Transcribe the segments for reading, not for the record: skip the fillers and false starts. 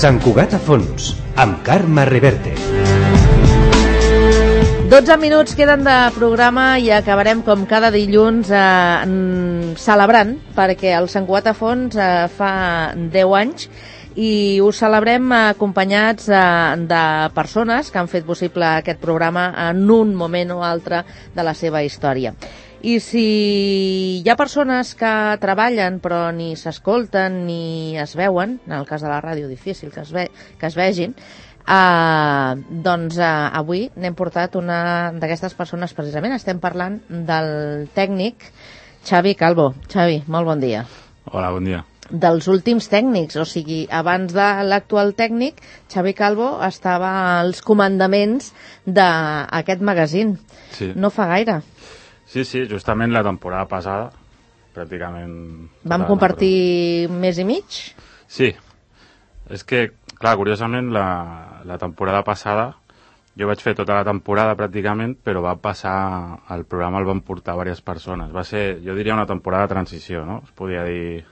Sant Cugat a fons, amb Carme Reverte. 12 minuts queden de programa i acabarem com cada dilluns celebrant, perquè el Sant Cugat a fons fa 10 anys i ho celebrem acompanyats de persones que han fet possible aquest programa en un moment o altre de la seva història. I si hi ha persones que treballen però ni s'escolten ni es veuen, en el cas de la ràdio difícil que es vegin, doncs avui n'hem portat una d'aquestes persones precisament. Estem parlant del tècnic Xavi Calvo. Xavi, molt bon dia. Hola, bon dia. Dels últims tècnics, o sigui, abans de l'actual tècnic, Xavi Calvo estava als comandaments d'aquest magazín. Sí. No fa gaire. Sí, justament la temporada passada, pràcticament... Vam compartir mes i mig? Sí. És que, clar, curiosament, la temporada passada, jo vaig fer tota la temporada pràcticament, però va passar, el programa el van portar diverses persones. Va ser, jo diria, una temporada de transició, no? Es podia dir...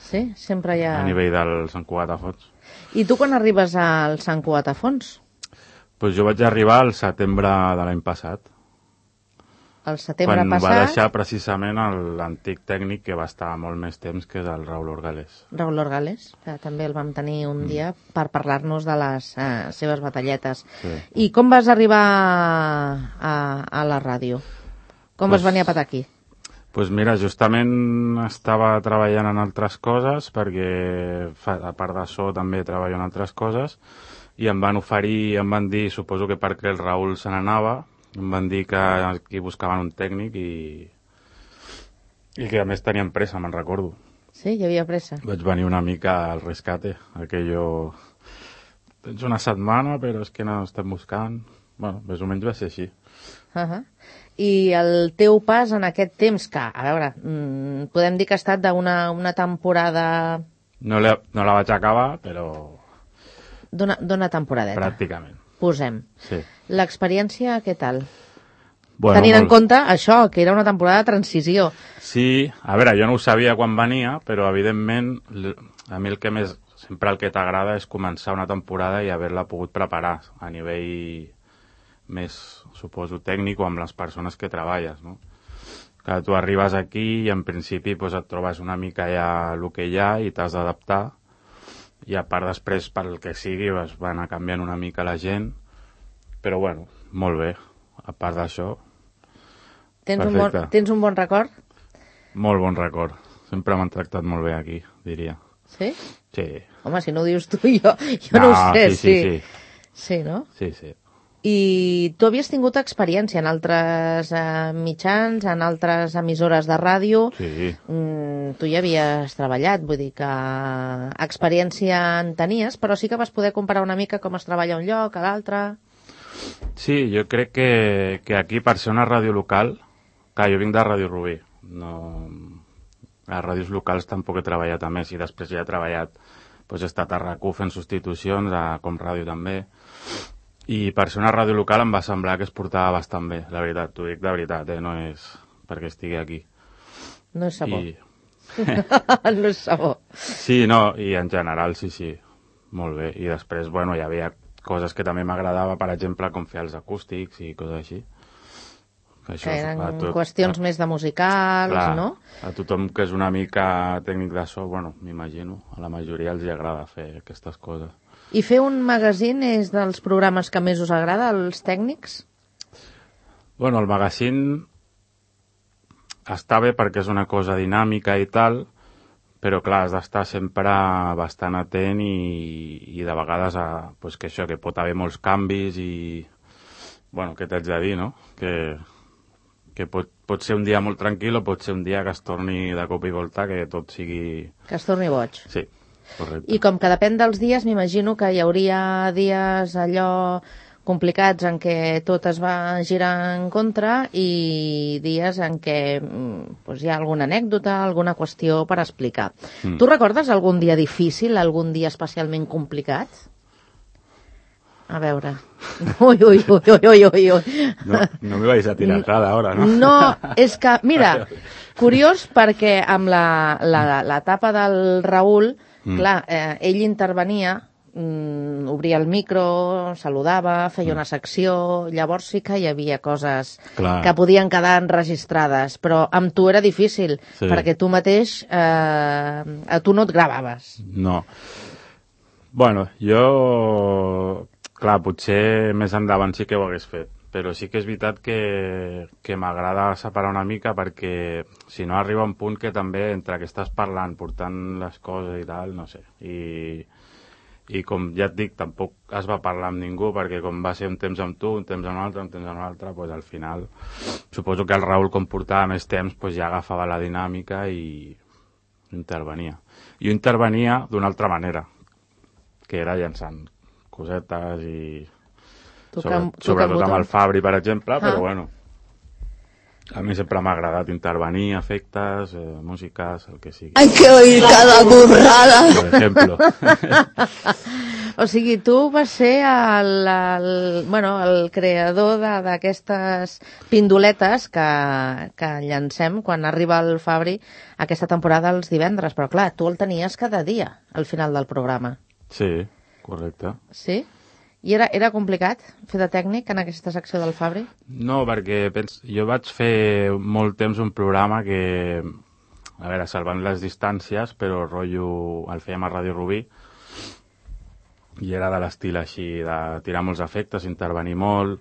Sí, sempre hi ha... A nivell del Sant Cugat a fons. I tu quan arribes al Sant Cugat a fons? Pues jo vaig arribar al setembre de l'any passat. El setembre quan passat... va deixar precisament l'antic tècnic que va estar molt més temps, que és el Raül Orgales. Raül Orgales, que també el vam tenir un dia per parlar-nos de les seves batalletes. Sí. I com vas arribar a la ràdio? Com vas venir a patar aquí? Pues mira, justament estava treballant en altres coses, perquè a part de so també treballo en altres coses, i em van oferir, em van dir, suposo que perquè el Raül se n'anava, em van dir que aquí buscaven un tècnic i que a més tenien pressa, me'n recordo. Sí, hi havia pressa. Vaig venir una mica al rescate, aquello... Tens una setmana, però és que no estem buscant... Bueno, més o menys va ser així. I el teu pas en aquest temps, que, a veure, podem dir que ha estat d'una temporada... No la vaig acabar, però... D'una temporadeta. Pràcticament. Posem. Sí. L'experiència, què tal? Bueno, tenint en compte això, que era una temporada de transició. Sí, a veure, jo no ho sabia quan venia, però evidentment a mi sempre el que t'agrada és començar una temporada i haver-la pogut preparar a nivell més, suposo, tècnic o amb les persones que treballes, no? Que tu arribes aquí i en principi doncs, et trobes una mica ja el que hi ha i t'has d'adaptar, i a part després pel que sigui es va anar canviant una mica la gent, però bueno, molt bé, a part d'això perfecte. Tens un bon record? Molt bon record, sempre m'han tractat molt bé aquí, diria. Sí? Sí. Home, si no ho dius tu, jo no ho sé. Sí. Sí, no? Sí. I tu havies tingut experiència en altres mitjans, en altres emissores de ràdio. Sí. Tu ja havies treballat, vull dir que experiència en tenies, però sí que vas poder comparar una mica com es treballa un lloc a l'altre. Sí, jo crec que aquí, per ser una ràdio local, clar, jo vinc de Ràdio Rubí, no... a ràdios locals tampoc he treballat a més, i després ja he treballat, doncs he estat a RAC1 fent substitucions, a Com Ràdio també, i per ser una ràdio local em va semblar que es portava bastant bé, la veritat, t'ho dic de veritat, no és perquè estigui aquí. No és sabó. No és sabó. Sí, no, i en general sí, molt bé, i després, bueno, hi havia coses que també m'agradava, per exemple, com fer els acústics i coses així. Això, que eren qüestions més de musicals, clar, no? A tothom que és una mica tècnic de so, bueno, m'imagino, a la majoria els agrada fer aquestes coses. I fer un magazín és dels programes que més us agrada, als tècnics? Bueno, el magazín està bé perquè és una cosa dinàmica i tal, però clar, has d'estar sempre bastant atent i de vegades pues que això, que pot haver molts canvis i, bueno, què t'haig de dir, no? Que pot ser un dia molt tranquil o pot ser un dia que es torni de cop i volta, que tot sigui... Que es torni boig. Sí, correcte. I com que depèn dels dies, m'imagino que hi hauria dies allò complicats en què tot es va girar en contra i dies en què hi ha alguna anècdota, alguna qüestió per explicar. Tu recordes algun dia difícil, algun dia especialment complicat? A veure... Ui. No me vais a tirar nada ahora, ¿no? No, és que, mira, curiós perquè amb l'etapa del Raül, clar, ell intervenia obria el micro, saludava, feia una secció, llavors sí que hi havia coses que podien quedar enregistrades, però amb tu era difícil, perquè tu mateix, a tu no et gravaves. No. Bueno, jo... Clar, potser més endavant sí que ho hagués fet, però sí que és veritat que m'agrada separar una mica perquè si no arriba un punt que també entre que estàs parlant, portant les coses i tal, no sé. I com ja et dic, tampoc es va parlar amb ningú perquè com va ser un temps amb tu, un temps amb un altre, un temps amb un altre, doncs al final suposo que el Raül com portava més temps doncs ja agafava la dinàmica i intervenia. Jo intervenia d'una altra manera, que era llançant cosetes i sobretot amb el Fabri, per exemple, però bueno, a mi sempre m'ha agradat intervenir, efectes, músiques, el que sigui. Hay que oír cada burrada. Per exemple. O sigui, tu vas ser el creador d'aquestes pindoletes que llancem quan arriba el Fabri aquesta temporada els divendres, però clar, tu el tenies cada dia al final del programa. Sí, correcte. Sí? I era complicat fer de tècnic en aquesta secció del Fabri? No, perquè jo vaig fer molt temps un programa que, a veure, salvant les distàncies, però rotllo el fèiem a Ràdio Rubí i era de l'estil així, de tirar molts efectes, intervenir molt,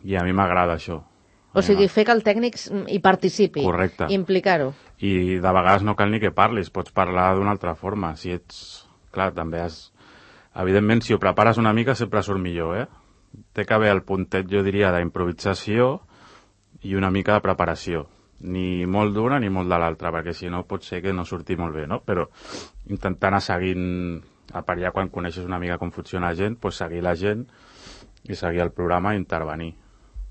i a mi m'agrada això. O sigui, fer que el tècnic hi participi. Correcte. Implicar-ho. I de vegades no cal ni que parlis, pots parlar d'una altra forma. Si ets... Clar, també has... Evidentment, si ho prepares una mica, sempre surt millor, Té que haver el puntet, jo diria, d'improvisació i una mica de preparació. Ni molt d'una ni molt de l'altra, perquè si no pot ser que no surti molt bé, no? Però intentar anar seguint, a part ja quan coneixes una mica com funciona la gent, doncs seguir la gent i seguir el programa i intervenir.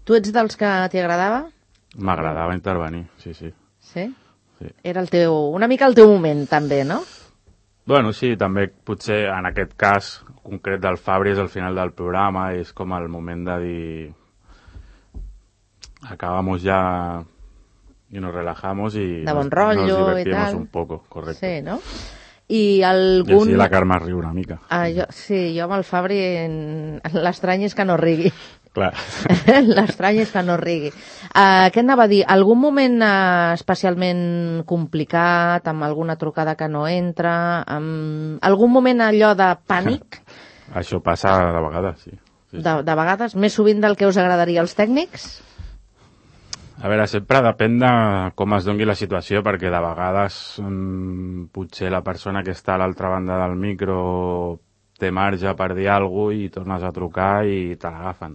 Tu ets dels que t'hi agradava? M'agradava intervenir, sí. Sí? Sí. Era una mica el teu moment, també, no? Bueno, sí, també potser en aquest cas concret del Fabri és el final del programa, és com el moment de dir acabamos ya y nos relajamos y de bon rotllo nos divertimos i tal. Un poco, correcte. Sí, no? I algun... I així la Carme riu una mica. Jo amb el Fabri l'estrany és que no rigui. Clar. L'estrany és que no rigui. Què anava a dir? Algun moment especialment complicat, amb alguna trucada que no entra, amb algun moment allò de pànic? Això passa de vegades, sí. De vegades? Més sovint del que us agradaria als tècnics? A veure, sempre depèn de com es doni la situació, perquè de vegades potser la persona que està a l'altra banda del micro té marge per dir alguna cosa i tornes a trucar i te l'agafen.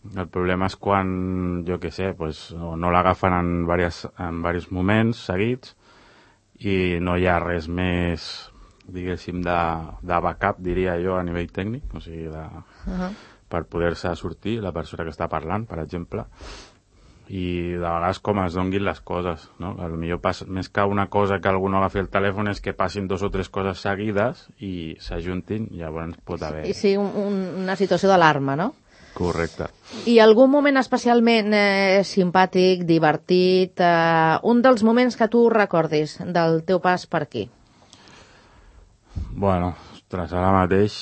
El problema és quan, jo què sé, pues, no l'agafen en diversos moments seguits i no hi ha res més, diguéssim, de backup, diria jo, a nivell tècnic, o sigui, per poder-se sortir la persona que està parlant, per exemple. I de vegades com es donguin les coses, no? Potser més que una cosa que algú no agafi el telèfon és que passin 2 o 3 coses seguides i s'ajuntin, llavors pot haver... Sí, una situació d'alarma, no? Correcte. I algun moment especialment simpàtic, divertit, un dels moments que tu recordis del teu pas per aquí? Bueno, ostres, ara mateix...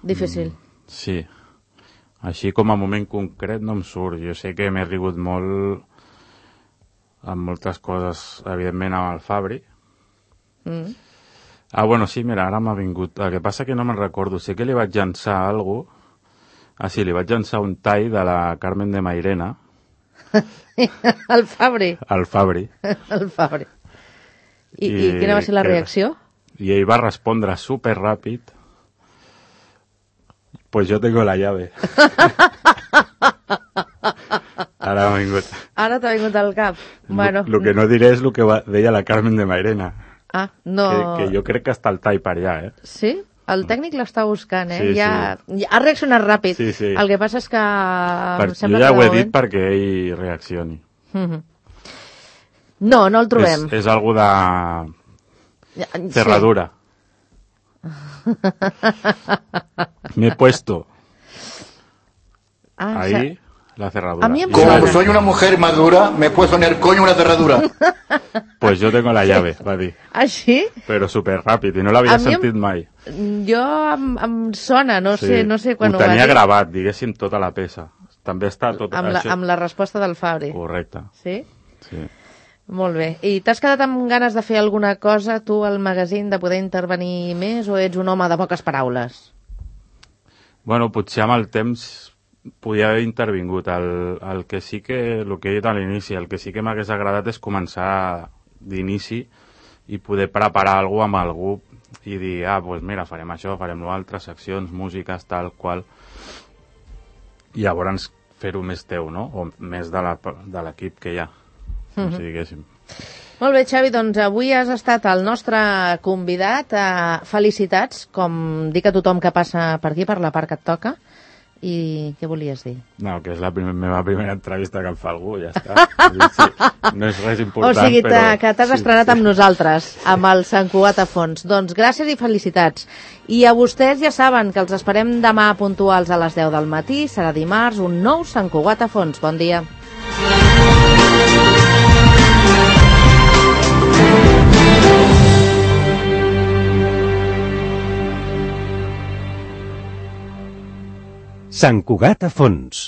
Difícil. Sí. Així com a moment concret no em surt. Jo sé que m'he rigut molt amb moltes coses, evidentment amb el Fabri. Bueno, sí, mira, ara m'ha vingut. El que passa que no me'n recordo. Sé que li vaig llançar alguna cosa. Sí, li vaig llançar un tall de la Carmen de Mairena. El Fabri? El Fabri. El Fabri. I quina va ser la reacció? I ell va respondre superràpid. Pues yo tengo la llave. Ara m'ha vingut. Ara t'ha vingut al cap. Bueno. Lo que no diré és el que deia la Carmen de Mairena. No. Que jo crec que està el tall per allà, Sí? El tècnic l'està buscant, Sí, ja ha reaccionat ràpid. Sí. El que passa és que... Jo ja ho he dit perquè ell reaccioni. No el trobem. És algo de... cerradura. Me he puesto. Ahí, la cerradura. A mí em Y sona. Como soy una mujer madura, me puedo poner coño una cerradura. Pues yo tengo la llave, va dir. Ah, sí? Però superràpid, i no l'havia A mi em- sentit mai. Jo em sona, no sé quan ho ho va tenia dir. gravat, diguéssim, tota la peça. També està tot Amb la resposta del Fabri. Correcte, Sí? sí. Molt bé. I t'has quedat amb ganes de fer alguna cosa, tu, al magazín, de poder intervenir més, o ets un home de poques paraules? Bueno, potser amb el temps podia haver intervingut. El que sí que, el que he dit a l'inici, el que sí que m'hagués agradat és començar d'inici i poder preparar alguna cosa amb algú i dir, doncs mira, farem això, farem l'altre, seccions, músiques, tal qual, i llavors fer-ho més teu, no? O més de l'equip que hi ha, si diguéssim. Molt bé, Xavi, doncs avui has estat el nostre convidat. Felicitats, com dic a tothom que passa per aquí, per la part que et toca. I què volies dir? No, que és la meva primera entrevista que em fa algú, ja està. Sí, no és res important, O sigui, però... que t'has estrenat amb nosaltres, amb el Sant Cugat a fons. Doncs gràcies i felicitats. I a vostès ja saben que els esperem demà puntuals a les 10 del matí. Serà dimarts, un nou Sant Cugat a fons. Bon dia. Sant Cugat a fons.